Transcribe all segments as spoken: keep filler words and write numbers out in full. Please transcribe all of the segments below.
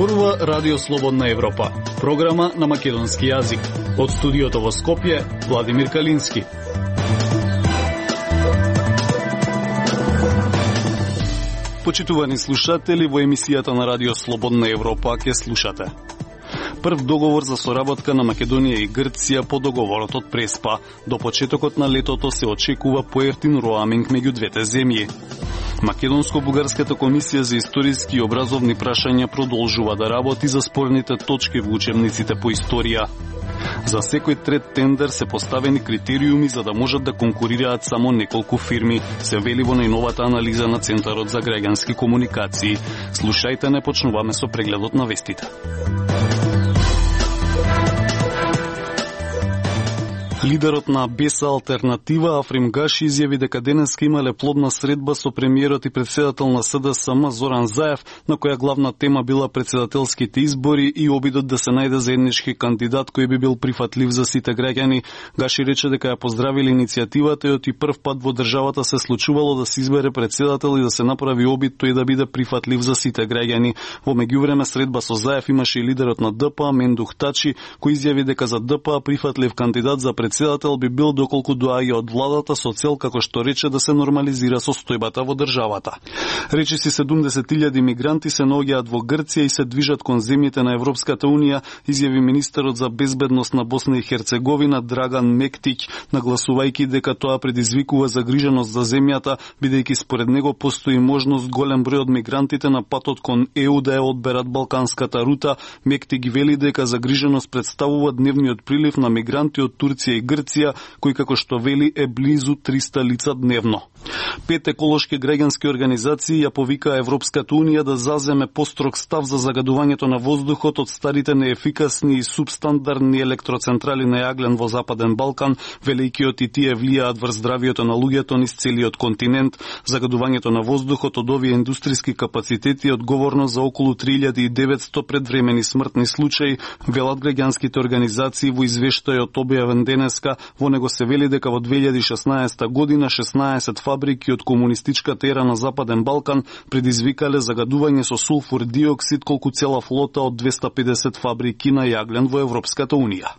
зборува Радио Слободна Европа, програма на македонски јазик. Од студиото во Скопје, Владимир Калински. Почитувани слушатели, во емисијата на Радио Слободна Европа ќе слушате. Прв договор за соработка на Македонија и Грција по договорот од Преспа. До почетокот на летото се очекува поевтин роаминг меѓу двете земји. Македонско-бугарската комисија за историски и образовни прашања продолжува да работи за спорните точки во учебниците по историја. За секој трет тендер се поставени критериуми за да можат да конкурираат само неколку фирми, се вели во најновата анализа на Центарот за граѓански комуникации. Слушајте, не почнуваме со прегледот на вестите. Лидерот на Беса алтернатива Африм Гаши изјави дека денеска имале плодна средба со премиерот и председател на СДСМ Зоран Заев, на која главна тема била председателските избори и обидот да се најде заеднички кандидат кој би бил прифатлив за сите граѓани. Гаши рече дека ја поздравили иницијативата и оти прв пат во државата се случувало да се избере председател и да се направи обид тој да биде прифатлив за сите граѓани. Во меѓувреме средба со Заев имаше и лидерот на ДПА Мендух Тачи, кој изјави дека за ДПА прифатлив кандидат за председател Председател би бил доколку доаѓа од владата со цел, како што рече, да се нормализира состојбата во државата. Речиси седумдесет илјади мигранти се наоѓаат во Грција и се движат кон земјите на Европската унија, изјави министерот за безбедност на Босна и Херцеговина Драган Мектич, нагласувајќи дека тоа предизвикува загриженост за земјата, бидејќи според него постои можност голем број од мигрантите на патот кон ЕУ да ја одберат балканската рута. Мектич вели дека загриженост представува дневниот прилив на мигранти од Турција и Грција, кој како што вели е близу триста лица дневно. Пет еколошки граѓански организации ја повика Европската унија да заземе построг став за загадувањето на воздухот од старите неефикасни и субстандардни електроцентрали на јаглен во Западен Балкан, велејќи од и тие влијаат врз здравието на луѓето низ целиот континент. Загадувањето на воздухот од овие индустријски капацитети е одговорно за околу три илјади и деветсто предвремени смртни случаи, велат граѓанските организации во извештајот објавен денеска. Во него се вели дека во две илјади и шеснаесета година шеснаесет фабрики од комунистичката ера на Западен Балкан предизвикале загадување со сулфур диоксид колку цела флота од двесте и педесет фабрики на јаглен во Европската унија.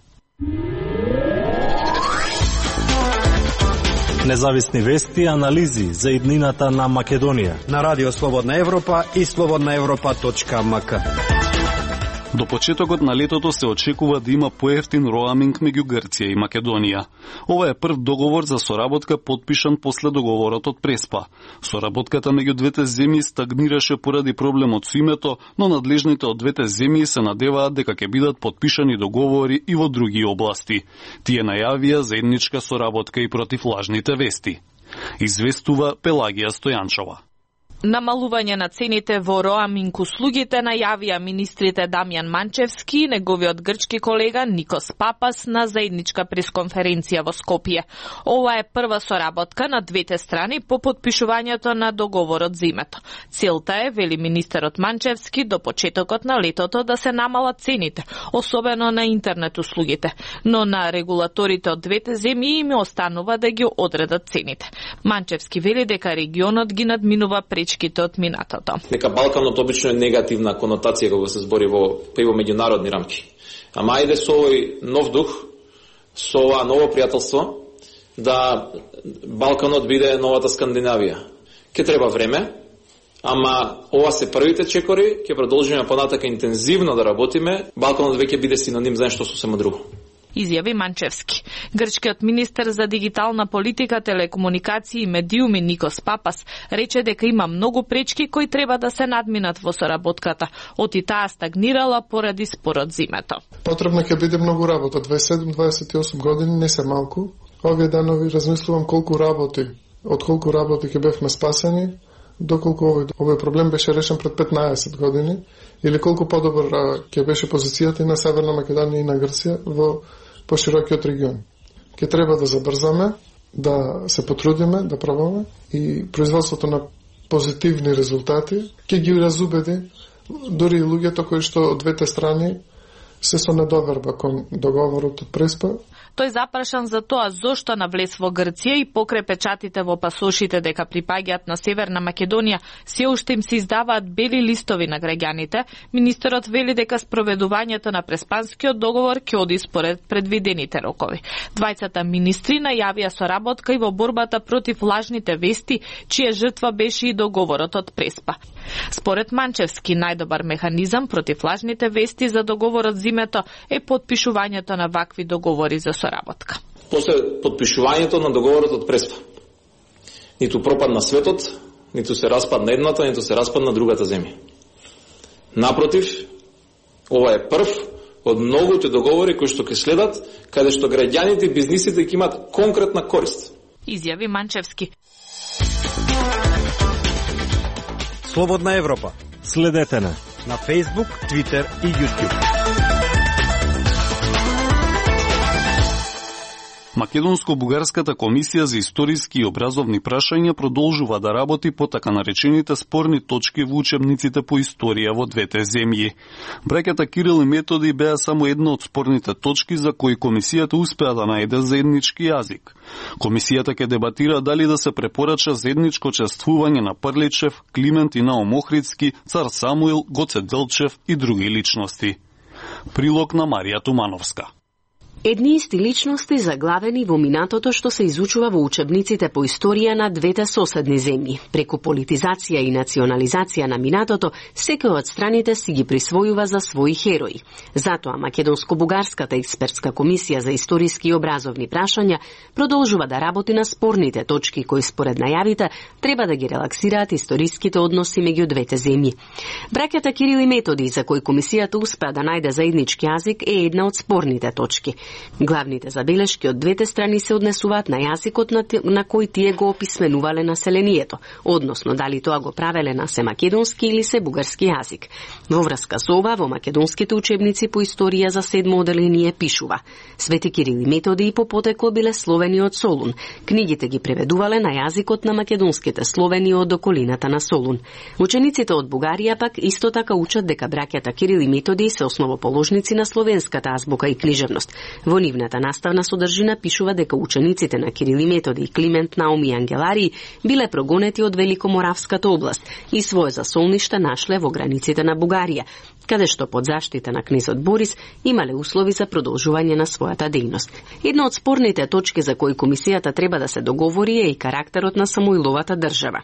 Независни вести и анализи за иднината на Македонија на Радио Слободна Европа и слободна европа точка ем ка. До почетокот на летото се очекува да има поевтин роаминг меѓу Грција и Македонија. Ова е прв договор за соработка подпишан после договорот од Преспа. Соработката меѓу двете земји стагнираше поради проблемот со името, но надлежните од двете земји се надеваат дека ќе бидат подпишани договори и во други области. Тие најавија заедничка соработка и против лажните вести. Известува Пелагија Стојанчова. Намалување на цените во роаминг услугите најавија министрите Дамјан Манчевски и неговиот грчки колега Никос Папас на заедничка пресконференција во Скопје. Ова е прва соработка на двете страни по подпишувањето на договорот за името. Целта е, вели министерот Манчевски, до почетокот на летото да се намалат цените, особено на интернет услугите, но на регулаторите од двете земји им останува да ги одредат цените. Манчевски вели дека регионот ги надминува пречките од минатото. Дека Балканот обично е негативна конотација кога се збори во па и во меѓународни рамки. Ама ајде со овој нов дух, со ова ново пријателство, да Балканот биде новата Скандинавија. Ке треба време, ама ова се првите чекори, ќе продолжиме понатака интензивно да работиме, Балканот веќе биде синоним за нешто сосема друго. Изјави Манчевски. Грчкиот министер за дигитална политика, телекомуникации и медиуми Никос Папас рече дека има многу пречки кои треба да се надминат во соработката. Оти таа стагнирала поради спорот за името. Потребно ќе биде многу работа. дваесет и седум до дваесет и осум години не се малку. Овие данови размислувам колку работи, од колку работи ќе бевме спасени, доколку овој, овој проблем беше решен пред петнаесет години, или колку подобар ќе беше позицијата и на Северна Македонија и на Грција во поширокиот регион. Ке треба да забрзаме, да се потрудиме, да пробаме и производството на позитивни резултати ќе ги разубеди дури и луѓето кои што од двете страни се со недоверба кон договорот од Преспа. Тој запрашан за тоа зошто навлез во Грција и покрај печатите во пасошите дека припаѓаат на Северна Македонија, се уште им се издаваат бели листови на граѓаните, министерот вели дека спроведувањето на Преспанскиот договор ќе оди според предвидените рокови. Двајцата министри најавија соработка и во борбата против лажните вести, чија жртва беше и договорот од Преспа. Според Манчевски, најдобар механизам против лажните вести за договорот зимето е потпишувањето на вакви договори за соработка. После потпишувањето на договорот од Преспа, ниту пропадна светот, ниту се распадна едната, ниту се распадна другата земја. Напротив, ова е прв од многуте договори кои што ќе следат, каде што граѓаните и бизнисите ќе имат конкретна корист. Изјави Манчевски. Слободна Европа. Следете на на Facebook, Twitter и YouTube. Македонско-бугарската комисија за историски и образовни прашања продолжува да работи по така наречените спорни точки во учебниците по историја во двете земји. Браќата Кирил и Методи беа само една од спорните точки за кои комисијата успеа да најде заеднички јазик. Комисијата ќе дебатира дали да се препорача заедничко чествување на Прличев, Климент и Наум Охридски, цар Самуил, Гоце Делчев и други личности. Прилог на Марија Тумановска. Едни исти личности заглавени во минатото што се изучува во учебниците по историја на двете соседни земји. Преку политизација и национализација на минатото, секој од страните си ги присвојува за своји херои. Затоа Македонско-бугарската експертска комисија за историски и образовни прашања продолжува да работи на спорните точки кои според најавите треба да ги релаксираат историските односи меѓу двете земји. Браќата Кирил и Методи, за кои комисијата успеа да најде заеднички јазик, е една од спорните точки. Главните забелешки од двете страни се однесуваат на јазикот на, на кој тие го описменувале населението, односно дали тоа го правеле на се македонски или се бугарски јазик. Во врска со ова, во македонските учебници по историја за седмо оделение пишува: Свети Кирил и Методи по потекло биле словени од Солун. Книгите ги преведувале на јазикот на македонските словени од околината на Солун. Учениците од Бугарија пак исто така учат дека браќата Кирил и Методи се основоположници на словенската азбука и книжевност. Во нивната наставна содржина пишува дека учениците на Кирил и Методи, Климент, Наум и Ангеларии биле прогонети од Великоморавската област и свое засолниште нашле во границите на Бугарија, каде што под заштита на кнезот Борис имале услови за продолжување на својата дејност. Една од спорните точки за кои комисијата треба да се договори е и карактерот на Самуиловата држава.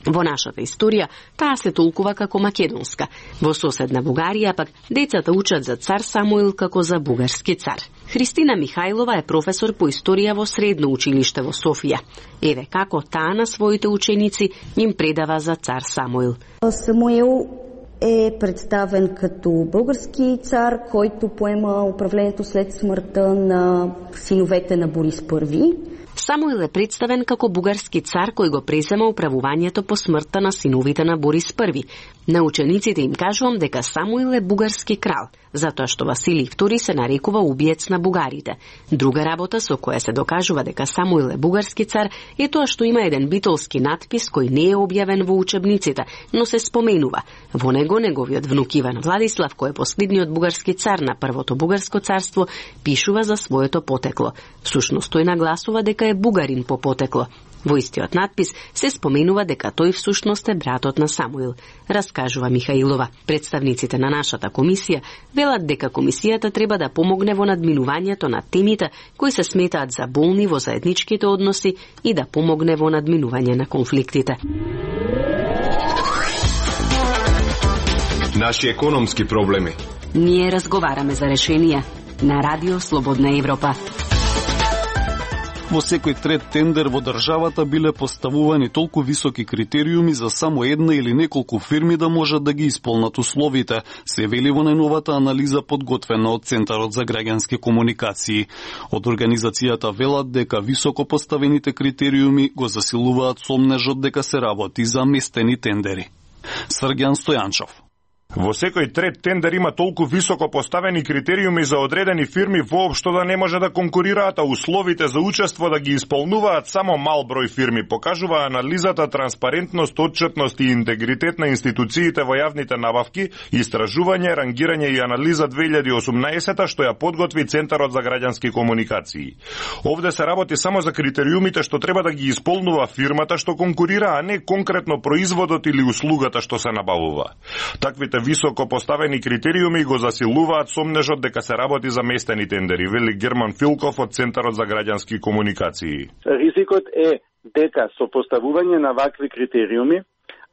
Во нашата историја таа се толкува како македонска. Во соседна Бугарија пак децата учат за цар Самуил како за бугарски цар. Христина Михајлова е професор по историја во Средно училиште во Софија. Еве како таа на своите ученици им предава за цар Самуил. Самуил е представен като български цар, който поема управлението след смъртта на синовете на Борис Първи. Самуил е представен како бугарски цар кој го презема управувањето по смртта на синовите на Борис Први. На учениците им кажувам дека Самуил е бугарски крал, затоа што Василий Втори се нарекува убиец на бугарите. Друга работа со која се докажува дека Самуил е бугарски цар е тоа што има еден битолски надпис кој не е објавен во учебниците, но се споменува. Во него неговиот внук Иван Владислав, кој е последниот бугарски цар на првото бугарско царство, пишува за своето потекло. Всушност тој нагласува дека е бугарин по потекло. Во истиот надпис се споменува дека тој всушност е братот на Самуил, раскажува Михаилова. Представниците на нашата комисија велат дека комисијата треба да помогне во надминувањето на темите кои се сметаат за болни во заедничките односи и да помогне во надминување на конфликтите. Наши економски проблеми. Ние разговараме за решенија на Радио Слободна Европа. Во секој трет тендер во државата биле поставувани толку високи критериуми за само една или неколку фирми да можат да ги исполнат условите, се вели во најновата анализа подготвена од Центарот за граѓански комуникации. Од организацијата велат дека високо поставените критериуми го засилуваат сомнежот дека се работи за местени тендери. Срѓан Стојанчов. Во секој трет тендер има толку високо поставени критериуми за одредени фирми воопшто да не може да конкурираат, а условите за учество да ги исполнуваат само мал број фирми, покажува анализата Транспарентност, отчетност и интегритет на институциите во јавните набавки, истражување, рангирање и анализа две илјади и осумнаесета, што ја подготви Центарот за граѓански комуникации. Овде се работи само за критериумите што треба да ги исполнува фирмата што конкурира, а не конкретно производот или услугата што се набавува. Таквите високо поставени критериуми го засилуваат сомнежот дека се работи за местени тендери, вели Герман Филков од Центарот за граѓански комуникации. Ризикот е дека со поставување на вакви критериуми,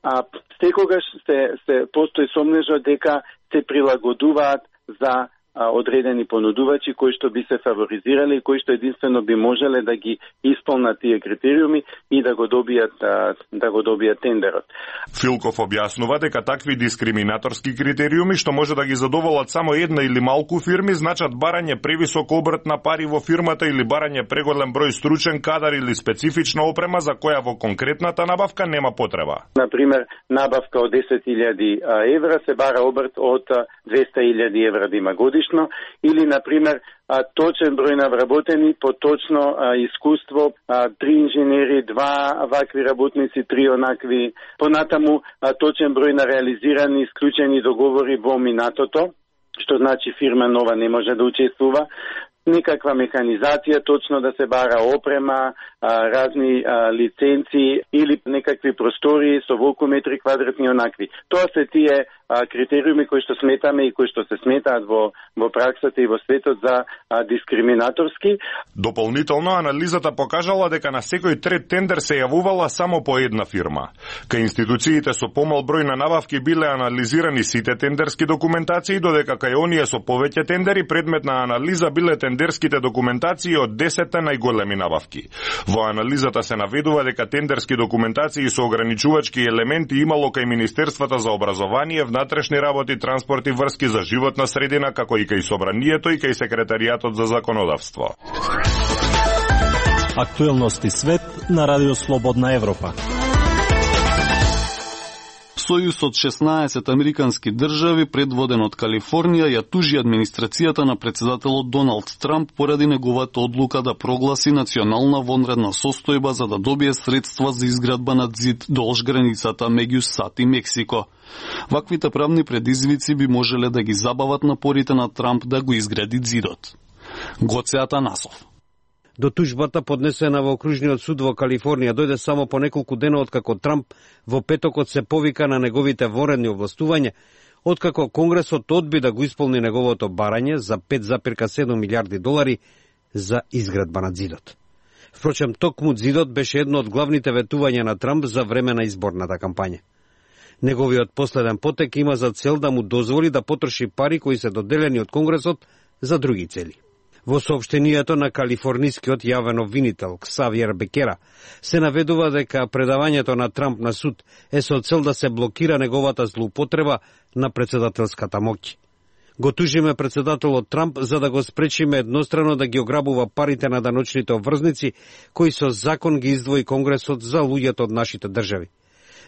а секогаш се, се постои сомнежот дека се прилагодуваат за а, одредени понудувачи кои што би се фаворизирали и кои што единствено би можеле да ги исполнат тие критериуми и да го добијат а, да го добијат тендерот. Филков објаснува дека такви дискриминаторски критериуми што може да ги задоволат само една или малку фирми значат барање превисок обрт на пари во фирмата или барање преголем број стручен кадар или специфична опрема за која во конкретната набавка нема потреба. Например, набавка од десет илјади евра се бара обрт од двесте илјади евра да има годишно, или, например, точен број на вработени по точно а, искуство, а, три инженери, два вакви работници, три онакви, понатаму а, точен број на реализирани исклучени договори во минатото, што значи фирма нова не може да учествува, некаква механизација, точно да се бара опрема, а, разни а, лиценци или некакви простори со волку метри квадратни онакви. Тоа се тие а, критериуми кои што сметаме и кои што се сметаат во, во праксата и во светот за а, дискриминаторски. Дополнително, анализата покажала дека на секој трет тендер се јавувала само по една фирма. Кај институциите со помал број на набавки биле анализирани сите тендерски документации, додека кај оние со повеќе тендери предмет на анализа биле тендерските документации од десетте најголеми набавки. Во анализата се наведува дека тендерски документации со ограничувачки елементи имало кај Министерствата за образование, внатрешни работи, транспорт и врски за животна средина, како и кај Собранието и кај Секретаријатот за законодавство. Актуелности свет на Радио Слободна Европа. Сојуз од шеснаесет американски држави, предводен од Калифорнија, ја тужи администрацијата на председателот Доналд Трамп поради неговата одлука да прогласи национална вонредна состојба за да добие средства за изградба на ѕид долж границата меѓу САД и Мексико. Ваквите правни предизвици би можеле да ги забават напорите на Трамп да го изгради ѕидот. Гоце Атанасов. До тужбата поднесена во окружниот суд во Калифорнија дојде само по неколку дена откако Трамп во петокот се повика на неговите вонредни овластувања, откако Конгресот одби да го исполни неговото барање за пет зарез седум милијарди долари за изградба на ѕидот. Впрочем, токму ѕидот беше едно од главните ветувања на Трамп за време на изборната кампања. Неговиот последен потек има за цел да му дозволи да потроши пари кои се доделени од Конгресот за други цели. Во соопштението на калифорнискиот јавен обвинител Ксавиер Бекера се наведува дека предавањето на Трамп на суд е со цел да се блокира неговата злоупотреба на председателската моќ. Го тужиме председателот Трамп за да го спречиме еднострано да ги ограбува парите на даночните обврзници кои со закон ги издвои Конгресот за луѓето од нашите држави.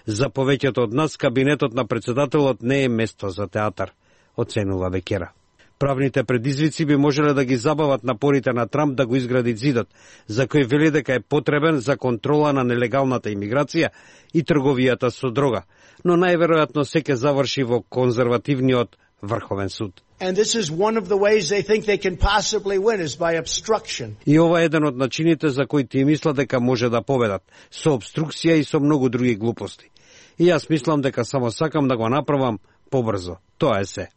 За повеќето од нас кабинетот на председателот не е место за театар, оценува Бекера. Правните предизвици би можеле да ги забават напорите на Трамп да го изгради ЗИДот, за кој вели дека е потребен за контрола на нелегалната имиграција и трговијата со дрога, но најверојатно се ќе заврши во конзервативниот Врховен суд. And this is one of the ways they think they can possibly win is by obstruction. И ова е еден од начините за кои тие мислат дека може да победат, со обструкција и со многу други глупости. И јас мислам дека само сакам да го направам побрзо. Тоа е се.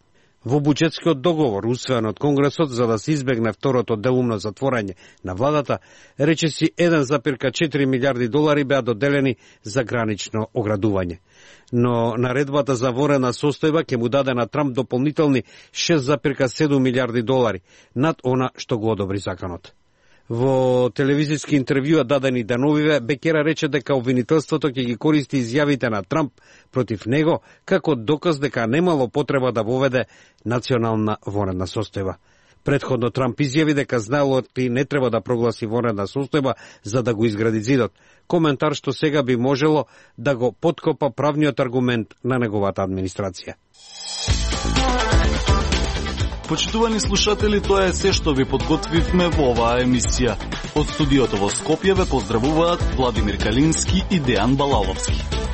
Во буџетскиот договор, усвоен од Конгресот за да се избегне второто делумно затворање на владата, речиси еден зарез четири милијарди долари беа доделени за гранично оградување. Но наредбата за вонредна состојба ќе му даде на Трамп дополнителни шест зарез седум милијарди долари, над она што го одобри законот. Во телевизиски интервјуа дадени деновиве, Бекера рече дека обвинителството ќе ги користи изјавите на Трамп против него како доказ дека немало потреба да воведе национална вонредна состојба. Предходно Трамп изјави дека знаелоти не треба да прогласи вонредна состојба за да го изгради зидот. Коментар што сега би можело да го поткопа правниот аргумент на неговата администрација. Почитувани слушатели, тоа е се што ви подготвивме во оваа емисија. Од студиото во Скопје ве поздравуваат Владимир Калински и Дејан Балаловски.